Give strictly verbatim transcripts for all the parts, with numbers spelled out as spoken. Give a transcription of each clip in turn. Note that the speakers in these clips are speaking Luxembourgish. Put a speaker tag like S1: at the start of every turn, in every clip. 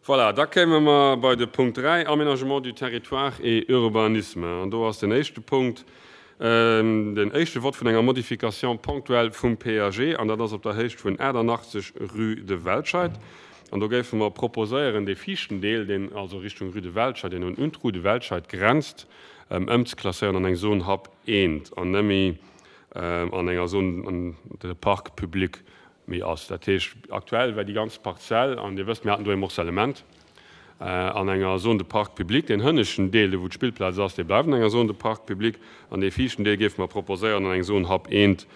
S1: Voilà, da kéime mer bei de Punkt dräi, Aménagement du territoire et urbanisme. An do ass den éischte Punkt den éischte Vott vun enger Modification ponctuelle vum P A G, an dat ass op der Héicht vun achtannachtzeg Rue de Welscheid. An do géife mer proposéieren, dee viischten Deel, deen also Richtung Rue de Welscheid, deen un d'Rue de Welscheid grenzt, ëmzeklasséieren an eng Zone HAP eent an net méi an enger Zone de parc public méi ass. Dat heescht, aktuell war déi ganz Parzell, an Dir wësst, mir haten do e Morcellement, an enger Zone de parc public. Deen hënneschten Deel, do wou d'Spillplaz ass, dee bleift an enger Zone de parc public, an dee viischten Deel géife mer proposéieren, an eng Zone HAP eent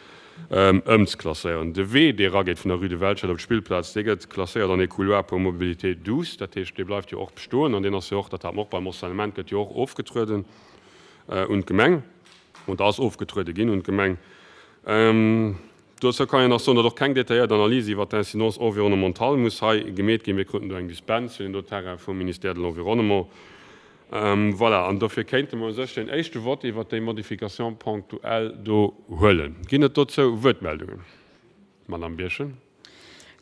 S1: ëmzeklasséieren. De Wee, dee erageet vun der Rue de Welscheid op d'Spillplaz, dee gëtt klasséiert an e Couloir pour mobilité douce. Dat heescht, dee bleift jo och bestoen, an deen ass jo och, dat hat mer och beim Morcellement, gëtt jo och ofgetrueden un d'Gemeng, oder ass ofgetruede ginn un d'Gemeng. Dozou kann een nach soen, datt och keng detailléiert Analys iwwer d'Incidence environnementale muss hei gemeet ginn. Mir kruten do eng Dispens fir den do Terrain vum Ministère de l'Environnement. Voilà, an dofir kéinte mer u sech den éischte Vott iwwer déi Modification ponctuelle do huelen. Ginn et dozou Wuertmeldungen? Madame Birchen.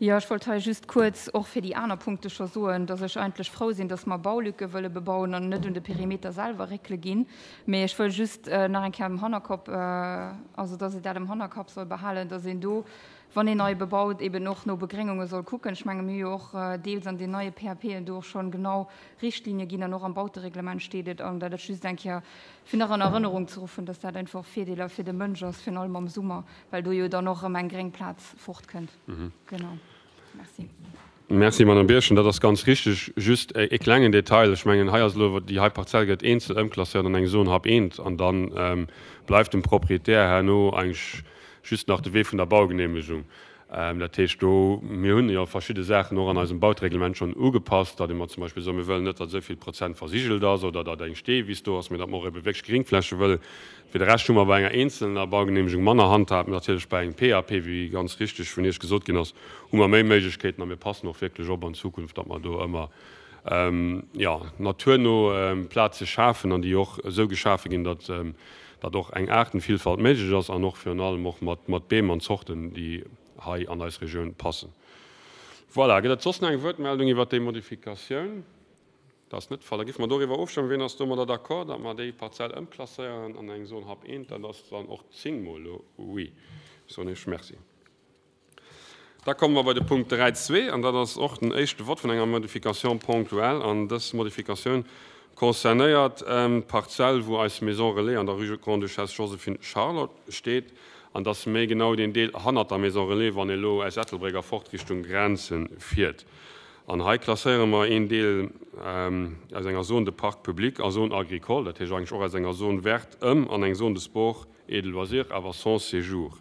S2: Jo, ech wollt hei just kuerz och fir déi aner Punkte scho soen, dass ech eigentlech frou sinn, dass mer Baulücke wëlle bebauen an net un de Perimeter selwer réckele ginn. Mee ech wëll just nach eng Kéier am Hannerkopp, also dass ee dat am Hannerkapp soll behalen, dass een do, wann een nei bebaut, eben och no Begréngunge soll kucken. Ech menge mir hu jo och deels an den neie P A P en do och schonn genau Richtlinie ginn an och am Bautereglement steet et, an dat et just eng Kéier fir nach an Erënnerung ze ruffen, dass dat einfach Virdeeler fir de Mënsch ass, virun allem am Summer, well do jo dann och erëm eng gréng Plaz fortkënnt. Genau. Merci.
S1: Merci, Madame Birchen. Dat ass ganz richteg. Just e klengen Detail. Ech mengen, hei ass elo, déi hei Parzell gëtt eenzel ëmklasséiert an eng Zone HAP eent, an dann bleift dem Proprietär herno eigentlech just nach de Wee vun der Baugenehmegung. Dat heescht do, mir hunn jo verschidde Saachen och an eisem Bautereglement schonn ugepasst, datt mer zum Beispill soen, mir wëllen net, datt esou vill Prozent versigelt ass oder datt eng Steewiss do ass, mee datt mer och ebe wierklech Gringfläche wëllen. Fir de Rescht hu mer bei enger eenzelner Baugenehmegung manner Handhab, natierlech bei engem P A P, wéi ganz richteg vun Iech gesot ginn ass, hu mer méi Méiglechkeeten a mir passen och wierklech op an Zukunft, datt mer do ëmmer, jo, naturno Plaze schafen an déi och esou geschafe ginn, datt datt och eng Aartenvielfalt méiglech ass an och virun allem och mat mat Beem an Zorten, déi hei an eis Regioun passen. Voilà, gëtt et soss nach eng Wuertmeldung iwwert déi Modifikatioun? Dat ass net de Fall. Da géife mer doriwwer ofstëmmen. Wien ass domadder d'accord, datt mer déi Parzell ëmklasséieren an eng Zone HAP eent? Dat ass dann och zéng Mol elo oui. Soen ech Merci. Da komme mer bei de Punkt dräi Punkt zwee, an dat ass och den éischte Vott vun enger Modification ponctuelle. An dës Modifikatioun concernéiert d'Parzell, wou eis Maison Relais an der Rue Grande-Duchesse Joséphine Charlotte steet, an dat ass méi genau deen Deel hannert der Maison Relais, wann ee lo aus Ettelbréck erfort Richtung Grenzen fiert. An hei klasséiere mer een Deel aus enger Zone de parc public a Zone agricole, dat heescht eigentlech och aus enger Zone verte ëm an eng Zone de sport et de loisirs, awer sans séjour.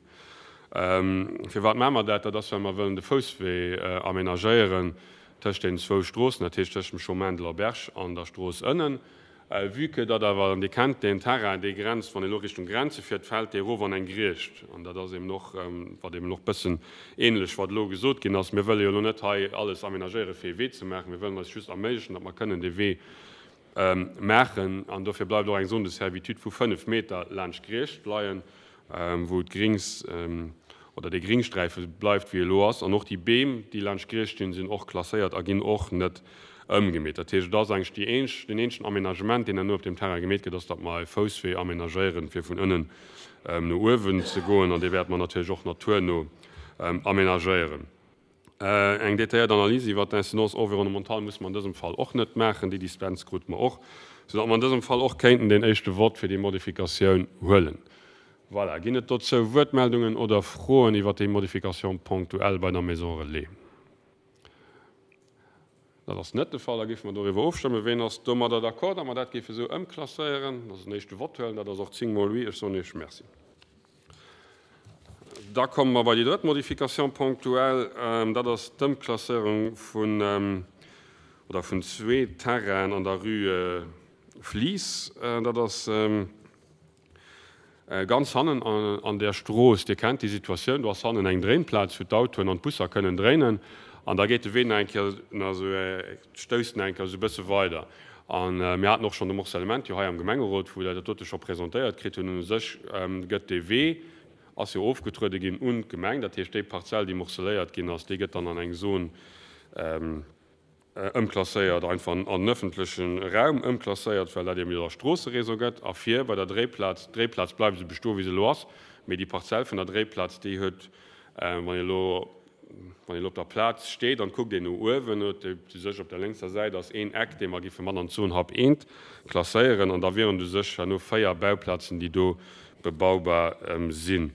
S1: Firwat maache mer dat? Dat ass, well mer wëllen de Fousswee amenagéieren tëscht deenen zwou Stroossen, dat heescht tëscht dem Chemin de l'Auberge an der Strooss ënnen. Vue que datt awer, an Dir kennt deen Terrain, dee grenzt, wann ee lo Richtung Grenze fiert, fält dee erof an eng Griecht. An dat ass eben och, wat eben och bëssen ähnlech wat elo gesot ginn ass. Mir wëlle jo elo net hei alles amenagéiere fir ee Wee ze maachen. Mir wëllen eis just erméiglechen, datt mer kënnen dee Wee maachen. An dofir bleift och eng Zone de servitude vu fënnef Meter laanscht d'Griecht leien, wou d'Grings oder dee Gringsträife bleift wéi e lo ass. An och déi Beem, déi laanscht d'Griecht stinn, sinn och klasséiert a ginn och net ëmgemeet. Dat heescht, et ass eigentlech déi eenzeg, deen eenzegen Amenagement, deen herno op deem Terrain gemeet gëtt, ass, datt mer e Fousswee amenagéieren, fir vun ënnen no uewen ze goen. An dee wäerte mer natierlech och naturno amenagéieren. Eng detailléiert Analys iwwer d'Incidence environnementale muss mer an dësem Fall och net maachen. Déi Dispens krute mer och, soudatt mer an dësem Fall och kéinten den éischte Vott fir déi Modifikatioun huelen. Voilà, ginn et dozou Wuertmeldungen oder Froen iwwer déi Modification ponctuelle bei der Maison Relais? Dat ass net de Fall. Da géife mer doriwwer ofstëmmen. Wien ass domadder d'accord, datt mer dat géife sou ëmklasséieren, dass den éischte Vott huelen? Dat ass och zéng Mol oui. Ech soen Iech Merci. Da komme mer bei déi drëtt Modification ponctuelle. Dat ass d'Ëmklasséierung vun, oder vun zwee Terrainen an der Rue Flies. Dat ass ganz hannen an der Strooss. Dir kennt déi Situatioun, do ass hannen eng Dréinplaz, wou d'Autoen an d'Busser kënnen dréinen. An da geet de Wee nach eng Kéier, nach esou, stousst nach eng Kéier esou e bësse weider. A mir haten och schonn de Morcellement jo hei am Gemengerot, wou der dat dote scho presentéiert kritt hunn. U sech gëtt dee Wee, ass jo ofgetruede ginn un d'Gemeng. Dat heescht, déi Parzell, déi morceléiert ginn ass, déi gëtt dann an eng Zone ëmklasséiert, einfach an den ëffentleche Raum ëmklasséiert, well dat eben jo da Stroosseréseau gëtt. A vir bei der Dréiplaz, d'Dréiplaz bleift esou bestoen, wéi se elo ass, mee déi Parzell vun der Dréiplaz, déi huet, wann een elo, wann een elo op der Plaz steet an kuckt een no uewen, huet u sech op der lénkser Säit ass een Eck, dee mer géife mat an d'Zon Hab eent klasséieren an da wieren u sech herno véier Bauplazen, déi do bebaubar sinn.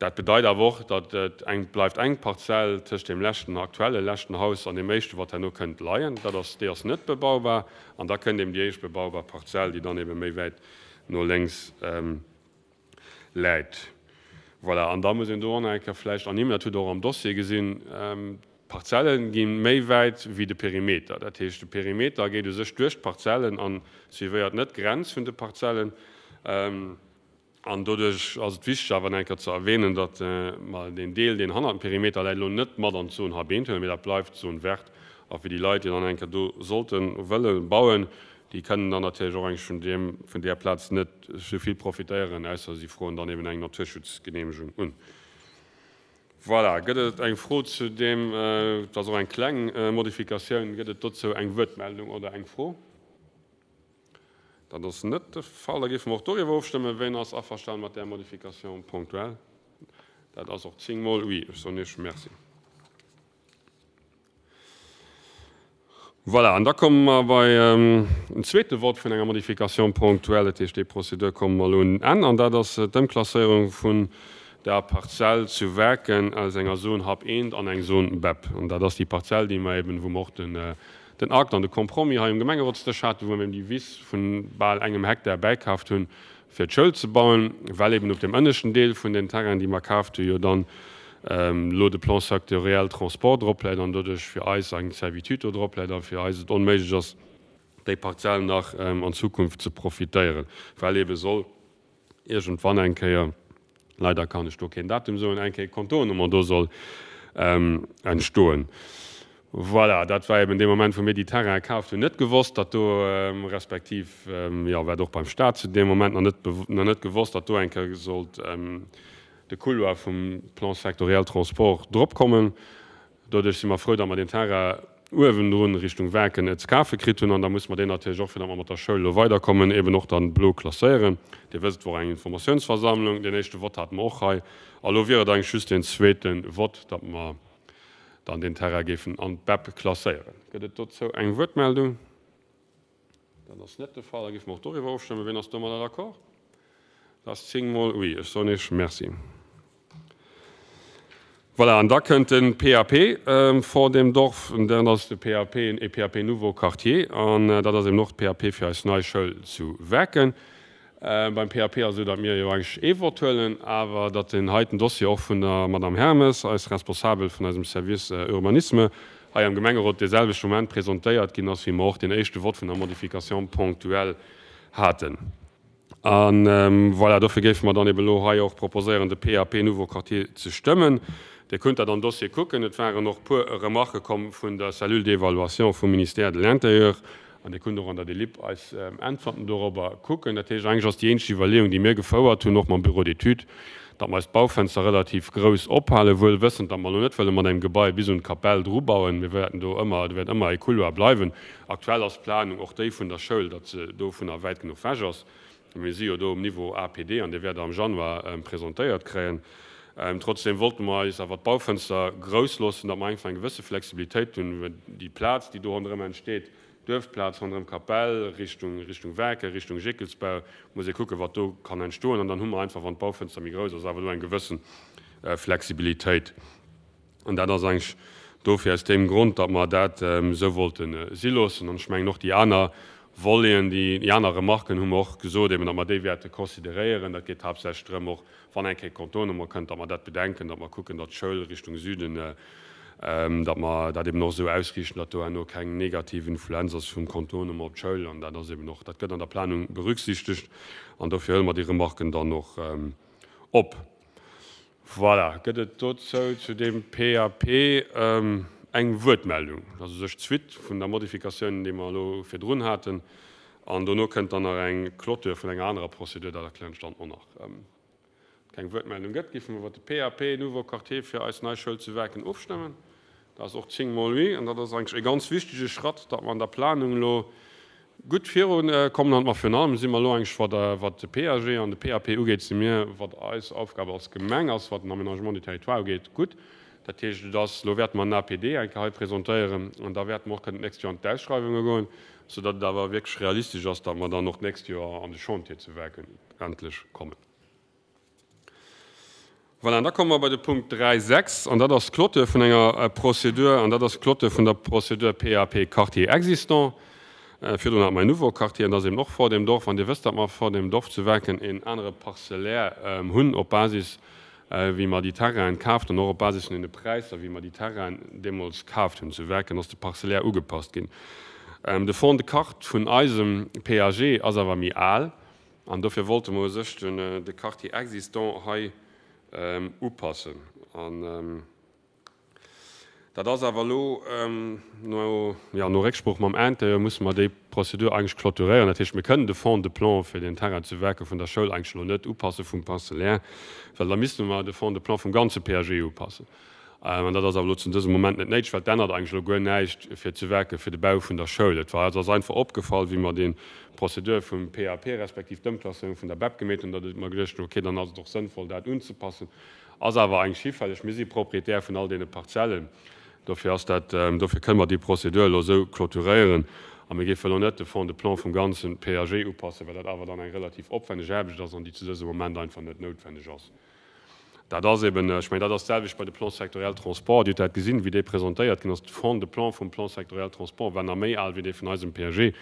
S1: Dat bedeit awer och, datt et eng bleift eng Parzell tëscht deem leschten, aktuelle leschten Haus an deem éischten, wat herno kënnt leien. Dat ass, déi ass net bebaubar. An da kënnt eben déi éischt bebaubar Parzell, déi dann eben méi wäit no lénks läit. Voilà, an da muss een do och nach eng Kéier vläicht ernimmen, dat hutt Der och am Dossier gesinn, d'Parzelle gi méi wäit wéi de Perimeter. Dat heescht, de Perimeter geet u sech duerch d'Parzellen a suivéiert net d'Grenz vun de Parzellen. An doduerch ass et wichteg awer nach eng Kéier ze erwähnen, datt mer deen Deel, deen hannert dem Perimeter läit, elo net mat an d'Zone H B huelen, mee dat bleift d'Zone verte. A fir déi Leit, déi dann eng Kéier do sollte wëlle bauen, déi kënnen dann natierlech och eigentlech vun deem, vun där Plaz net esou vill profitéieren, ausser si froen dann eben eng Naturschutzgenehmegung un. Voilà, gëtt et eng Fro zu deem? Et ass och eng kleng Modifikatioun. Gëtt et dozou eng Wuertmeldung oder eng Fro? Dat ass net de Fall. Da géife mer och doriwwer ofstëmmen. Wien ass averstanen mat där Modification ponctuelle? Dat ass och zéng Mol oui. Ech soen Iech Merci. Voilà, an da komme mer bei en zweete Vott vun enger Modification ponctuelle. Dat heescht, déi Prozedur komme mer elo un en Enn. An dat ass d'Ëmklasséierung vun der Parzell zu Werken aus enger Zone H A P eent an eng Zone B E P. An dat ass déi Parzell, déi mer eben, wou mer och den, den Akt an de Compromis hei um Gemengerotsdësch haten, wou mer eben déi Wiss vun bal engem Hektar bäikaaft hunn, fir d'Schoul ze bauen, well eben op dem ënneschten Deel vun den Terrainen, déi mer kaaft hunn, jo dann elo de Plan sectoriel Transport drop läit an doduerch fir eis eng Servitude do drop läit a fir eis et onméiglech ass, déi Parzell nach an Zukunft ze profitéieren, well eben soll iergendwann eng Kéier, leider kann ech do keen Datum soen, eng Kéier Contournement do soll entstoen. Voilà, dat war eben dee Moment, wou mir déi Terraine kaaft hunn, net gewosst, datt do, respektiv, jo, war et och beim Stat zu deem Moment nach net, nach net gewosst, datt do eng Kéier sollt de Couloir vum Plan sectoriel Transport drop kommen. Doduerch si mer frou, datt mer deen Terrain uewendrun Richtung Waarken et ze kafe kritt hunn. An da musse mer deen natierlech och, fir datt mer mat der Schoul elo weiderkommen, eben och dann blo klasséieren. Dir wësst, et wor eng Informatiounsversammlung. Deen éischte Vott hate mer och hei. A lo wier et eigentlech just deen zweete Vott, datt mer dann den Terrain géifen an d'B E P klasséieren. Gëtt et dozou eng Wuertmeldung? Dat ass net de Fall. Da géife mer och doriwwer ofstëmmen. Wien ass domadder d'accord? Dat ass zéng Mol oui. Ech soen Iech Merci. Voilà, an da kënnt den P A P vor dem Dorf. Und dann ass de P A P e P A P Nouveau Quartier. An dat ass eben och d'P A P fir eis nei Schoul zu Werken. Beim P A P ass esou, datt mir jo eigentlech ee Vott huelen, awer datt den heiten Dossier och vun der Madame Hermes, eis Responsabel vun eisem Service Urbanisme, hei am Gemengerot dee selwechte Moment presentéiert ginn ass, wéi mer och den éischte Vott vun der Modification ponctuelle haten. An voilà, dofir géife mer dann eben elo hei och proposéieren, de P A P Nouveau Quartier ze stëmmen. Dir kënnt dat am Dossier kucken. Et waren och puer Remarquë komm vun der Cellule d'évaluation vum Ministère de l'Intérieur. An Dir kënnt och an der Delib eis Äntwerten dorobber kucken. Dat heescht, eigentlech ass déi eenzeg Iwwerleeung, déi mir gefouert hunn, och mam Bureau d'études, datt mer eis d'Baufenster relativ grouss ophalen, wuel wëssend, datt mer elo net wëlle mat engem Gebai bis un d'Kapell drubauen. Mir wäerten do ëmmer, do wäert ëmmer e Couloir bleiwen. Aktuell ass d'Planung och déi vun der Schoul, datt se dovunner wäit genuch wech ass. Mir si jo do um Niveau A P D an dee wäert Der am Januar presentéiert kréien. Trotzdem wollten mer eis awer d'Baufenster grouss loossen, datt mer einfach eng gewësse Flexibilitéit hunn, well déi Plaz, déi do ronderëm entsteet, Duerfplaz ronderëm Kapell, Richtung, Richtung Werke, Richtung Jéckelsbau, muss ee kucken, wat do kann entstoen. An dann hu mer einfach, wann d'Baufenster méi grouss ass, awer do eng gewëssen Flexibilitéit. An dat ass eigentlech dofir aus deem Grond, datt mer dat esou wollte si loossen. An ech mengen och déi aner Voleten, déi aner Remarquen hu mer och gesot, eben, datt mer déi wäerte consideréieren. Dat geet haaptsächlech drëm, och wann eng Kéier Contournement kënnt, datt mer dat bedenken, datt mer kucken, datt d'Schoul Richtung Süden, datt mer dat eben och esou ausriichten, datt do herno keng negativ Influenz ass vum Contournement op d'Schoul. An dat ass eben och, dat gëtt an der Planung berücksichtegt. An dofir huele mer déi Remarquen dann och op. Voilà, gëtt et dozou zu deem P A P eng Wuertmeldung? Dat ass u sech d'Suite vun der Modifikatioun, déi mer elo virdrun haten. An dono kënnt dann nach eng Clôture vun enger anerer Prozedur, dat erklären ech dann och nach. Keng Wuertmeldung gëtt, géife mer iwwer de P A P Nouveau Quartier fir eis nei Schoul zu Werken ofstëmmen. Dat ass och zéng mol oui. An dat ass eigentlech e ganz wichtege Schratt, datt mer an der Planung elo gutt virunkommen. An mer virun allem si mer elo eigentlech, wat, wat de P A G an de P A P ugeet, si mir, wat eis Aufgab als Gemeng ass, wat den Aménagement du territoire ugeet, gutt. Dat heescht, et ass, elo wäerte mer en A P D eng Kéier hei presentéieren an da wäerte mer och kënnen d'nächst Joer an d'Ausschreiwunge goen, soudatt et awer wierklech realistesch ass, datt mer dann och d'nächst Joer an de Chantier zu Werken endlech kommen. Voilà, an da komme mer bei de Punkt dräi Punkt sechs, an dat ass d'Clôture vun enger Prozedur, an dat ass d'Clôture vun der Prozedur P A P Quartier existant. Virdrun hat mer en Nouveau Quartier, an dat ass eben och vor dem Dorf. An Dir wësst, datt mer vor dem Dorf zu Werken en anere Parcellaire hunn op Basis, wéi mer déi Terrainen kaaft hunn, och op Basis vun deene Präisser, wéi mer déi Terrainen deemools kaaft hunn zu Werken, ass de Parcellaire ugepasst ginn. De Fond de carte vun eisem P A G ass awer méi al, an dofir wollte mer u sech de Quartier existant hei upassen. An dat ass awer elo no, jo, no Récksprooch mam Intérieur musse mer déi Prozedur eigentlech clôturéieren. Dat heescht, mir kënnen de Fond de plan fir den Terrain zu Werken vun der Schoul eigentlech elo net upasse vum Parcellaire, well da misste mer de Fond de plan vum ganze P A G upassen. An dat ass awer elo zu dësem Moment net néideg, well et ännert eigentlech elo guer näischt fir zu Werken fir de Bau vun der Schoul. Et war, et ass einfach opgefall, wéi mer déi Prozedur vum P A P respektiv d'Ëmklasséierung vun der B E P gemeet hunn, datt mer geduecht hunn, okay, dann ass et och sënnvoll, dat unzepassen. Ass awer eigentlech hifälleg. Mir si Proprietär vun all deene Parzellen. Dofir ass dat, dofir kënne mer déi Prozedur elo esou clôturéieren. A mir géife elo net de Fond de plan vum ganze P A G upassen, well dat awer dann eng relativ opwänneg Aarbecht ass an déi zu dësem Moment einfach net noutwenneg ass. Dat ass eben, ech mengen, dat ass d'selwecht bei de Plan sectoriel Transport. Dir hutt dat gesinn, wéi dee presentéiert ginn ass. De Fond de plan vum Plan sectoriel Transport war nach méi al wéi dee vun eisem P A G.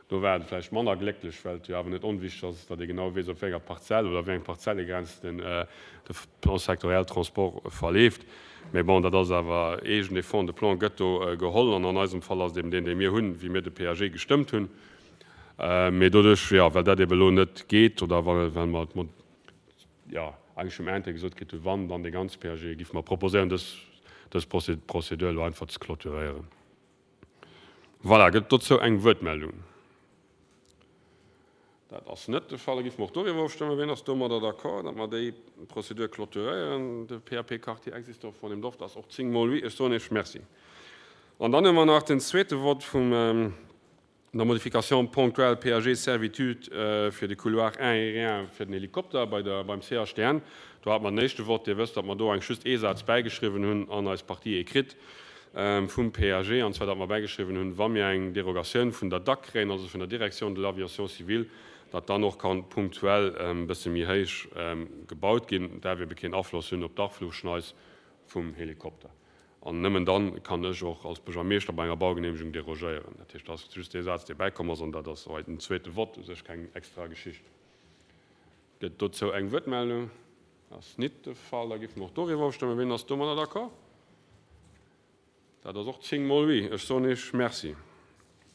S1: Do war et vläicht manner glécklech, well et jo awer net onwichteg ass, datt ee genau weess, op wéi enger Parzell oder wéi eng Parzellegrenz den de Plan sectoriel Transport verleeft. Mee bon, dat ass awer eegen, dee Fond de plan gëtt do geholl an an eisem Fall ass et eben deen, dee mir hunn, wéi mir de P A G gestëmmt hunn. Mee doduerch, jo, well dat eben elo net geet oder well mer, jo, eigentlech um Enn gesot kritt hunn, wann dann dee ganze P A G, géife mer proposéieren, dës dës Prozedur elo einfach ze clôturéieren. Voilà, gëtt dozou eng Wuertmeldung? Dat ass net de Fall. Da géife mer och doriwwer ofstëmmen. Wien ass domadder d'accord, datt mer déi Prozedur clôturéieren, de P A P Quartier existant von dem Dorf? Dat ass och zéng mol oui. Ech soen Iech Merci. An dann hu mer nach den zweete Vott vum der Modification ponctuelle P A G Servitude fir de Couloir aérien fir den Helikopter bei der, beim C H D N. Do hat mer den éischte Vott. Dir wësst, datt mer do eigentlech just ee Saz bäigeschriwwen hunn an eis Partie écrite vum P A G, an zwar datt mer bäigeschriwwen hunn, wa mir eng Derogatioun vun der D A C kréien, also vun der Direction de l'aviation civile, datt dann och kann punktuell e bësse méi héich gebaut ginn, däerf ebe keen Afloss hunn op d'Aflugschneis vum Helikopter. An nëmmen dann kann ech och als Buergermeeschter bei enger Baugeneemegung derogéieren. Dat heescht, dat ass just dee Saz, dee bäikomm ass, an dat ass hei den zweete Vott, u sech keng extra Geschicht. Gëtt dozou eng Wuertmeldung? Ass nit de Fall. Da géife mer och doriwwer ofstëmmen. Wien ass domadder d'accord? Dat ass och zéng mol oui. Ech soen Iech Merci.